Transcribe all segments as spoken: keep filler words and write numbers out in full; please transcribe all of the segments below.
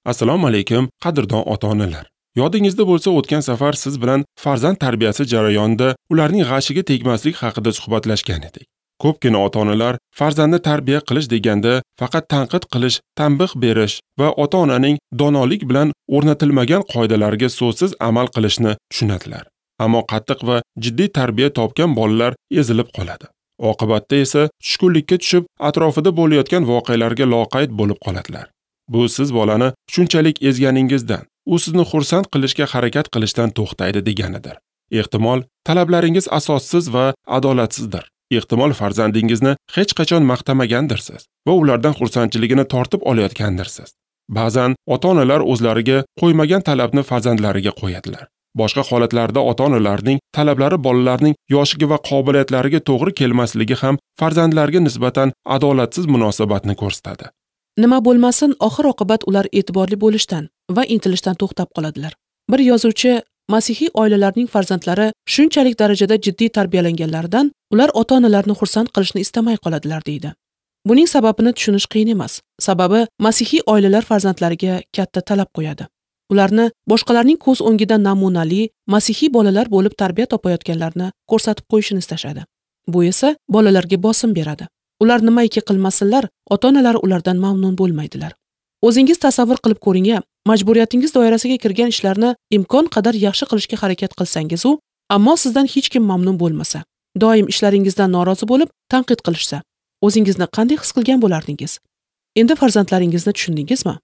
Assalomu alaykum, qadrdon ota-onalar. Yodingizda bo'lsa, o'tgan safar siz bilan farzand tarbiyasi jarayonida ularning g'ashiga tegmaslik haqida suhbatlashgan edik. Ko'pgina ota-onalar farzandni tarbiya qilish deganda faqat tanqid qilish, tanbih berish va ota-onaning donolik bilan o'rnatilmagan qoidalarga so'zsiz amal qilishni tushunadilar. Ammo qattiq va jiddiy tarbiya topgan bolalar ezilib qoladi. Oqibatda esa tushkunlikka tushib, atrofida bo'layotgan voqealarga loqayd bo'lib qoladilar. Bu siz bolani shunchalik ezganingizdan, u sizni xursand qilishga harakat qilishdan to'xtaydi deganidir. Ehtimol, talablaringiz asossiz va adolatsizdir. Ehtimol, farzandingizni hech qachon maqtamagandirsiz va ulardan xursandchiligini tortib olayotgandirsiz. Ba'zan ota-onalar o'zlariga qo'ymagan talabni farzandlariga qo'yadilar. Boshqa holatlarda ota-onalarning talablari bolalarning yoshiga va qobiliyatlariga to'g'ri kelmasligi ham farzandlarga nisbatan adolatsiz munosabatni ko'rsatadi. Nima bo'lmasin, oxir-oqibat ular e'tiborli bo'lishdan va intilishdan to'xtab qoladilar. Bir yozuvchi masihiy oilalarning farzandlari shunchalik darajada jiddiy tarbiyalanganlaridan ular ota-onalarni xursand qilishni istamay qoladilar deydi. Buning sababini tushunish qiyin emas. Sababi masihiy oilalar farzandlariga katta talab qo'yadi. Ularni boshqalarning ko'z o'ngida namunali masihiy bolalar bo'lib tarbiya topayotganlarni ko'rsatib qo'yishini istashadi. Bu esa bolalarga bosim beradi. Ular nimaiki qilmasinlar, ota-onalari ulardan mamnun bo'lmaydilar. O'zingiz tasavvur qilib ko'ring-a, majburiyatingiz doirasiga kirgan ishlarni imkon qadar yaxshi qilishga harakat qilsangiz u, ammo sizdan hech kim mamnun bo'lmasa, doim ishlaringizdan norozi bo'lib, tanqid qilishsa, o'zingizni qanday his qilgan bo'lardingiz? Endi farzandlaringizni tushundingizmi?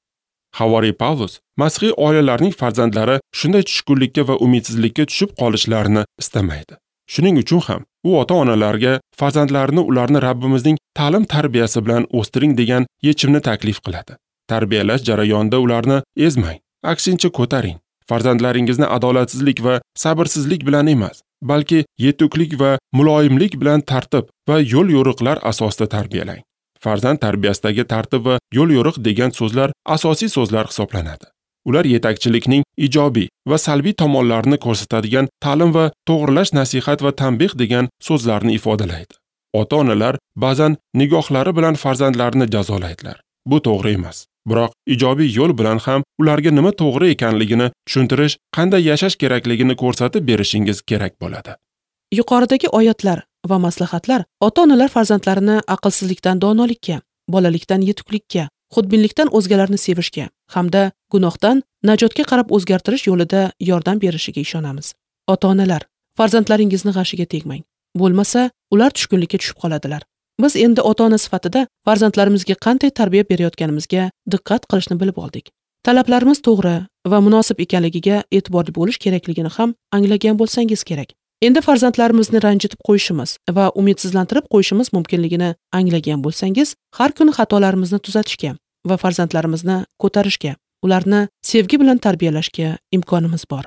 Havoriy Pavlus masihiy oilalarning farzandlari shunday tushkunlikka va umidsizlikka tushib qolishlarini istamaydi. Shuning uchun ham u ota-onalarga farzandlarini ularni Rabbimizning ta'lim tarbiyasi bilan o'stiring degan yechimni taklif qiladi. Tarbiyalash jarayonida ularni ezmang, aksincha ko'taring. Farzandlaringizni adolatsizlik va sabrsizlik bilan emas, balki yetuklik va muloyimlik bilan tartib va yo'l-yo'riqlar asosida tarbiyalang. Farzand tarbiyasidagi tartib va yo'l-yo'riq degan so'zlar asosiy so'zlar hisoblanadi. Ular yetakchilikning ijobiy va salbiy tomonlarini ko'rsatadigan ta'lim va to'g'rilash, nasihat va tanbih degan so'zlarni ifodalaydi. Ota-onalar ba'zan nigohlari bilan farzandlarini jazolaydilar. Bu to'g'ri emas. Biroq ijobiy yo'l bilan ham ularga nima to'g'ri ekanligini tushuntirish, qanday yashash kerakligini ko'rsatib berishingiz kerak bo'ladi. Yuqoridagi oyatlar va maslahatlar ota-onalar farzandlarini aqlsizlikdan donolikka, bolalikdan yetuklikka, xudbinlikdan o'zgalarni sevishga hamda gunohdan najotga qarab o'zgartirish yo'lida yordam berishiga ishonamiz. Ota-onalar, farzandlaringizni g'ashiga tegmang. Bo'lmasa, ular tushkunlikka tushib qoladilar. Biz endi ota-ona sifatida farzandlarimizga qanday tarbiya berayotganimizga diqqat qilishni bilib oldik. Talablarimiz to'g'ri va munosib ekanligiga e'tiborli bo'lish kerakligini ham anglagan bo'lsangiz kerak. Endi farzandlarimizni ranjitib qo'yishimiz va umidsizlantirib qo'yishimiz mumkinligini anglagan bo'lsangiz, har kuni xatolarimizni tuzatishga va farzandlarimizni ko'tarishga, ularni sevgi bilan tarbiyalashga imkonimiz bor.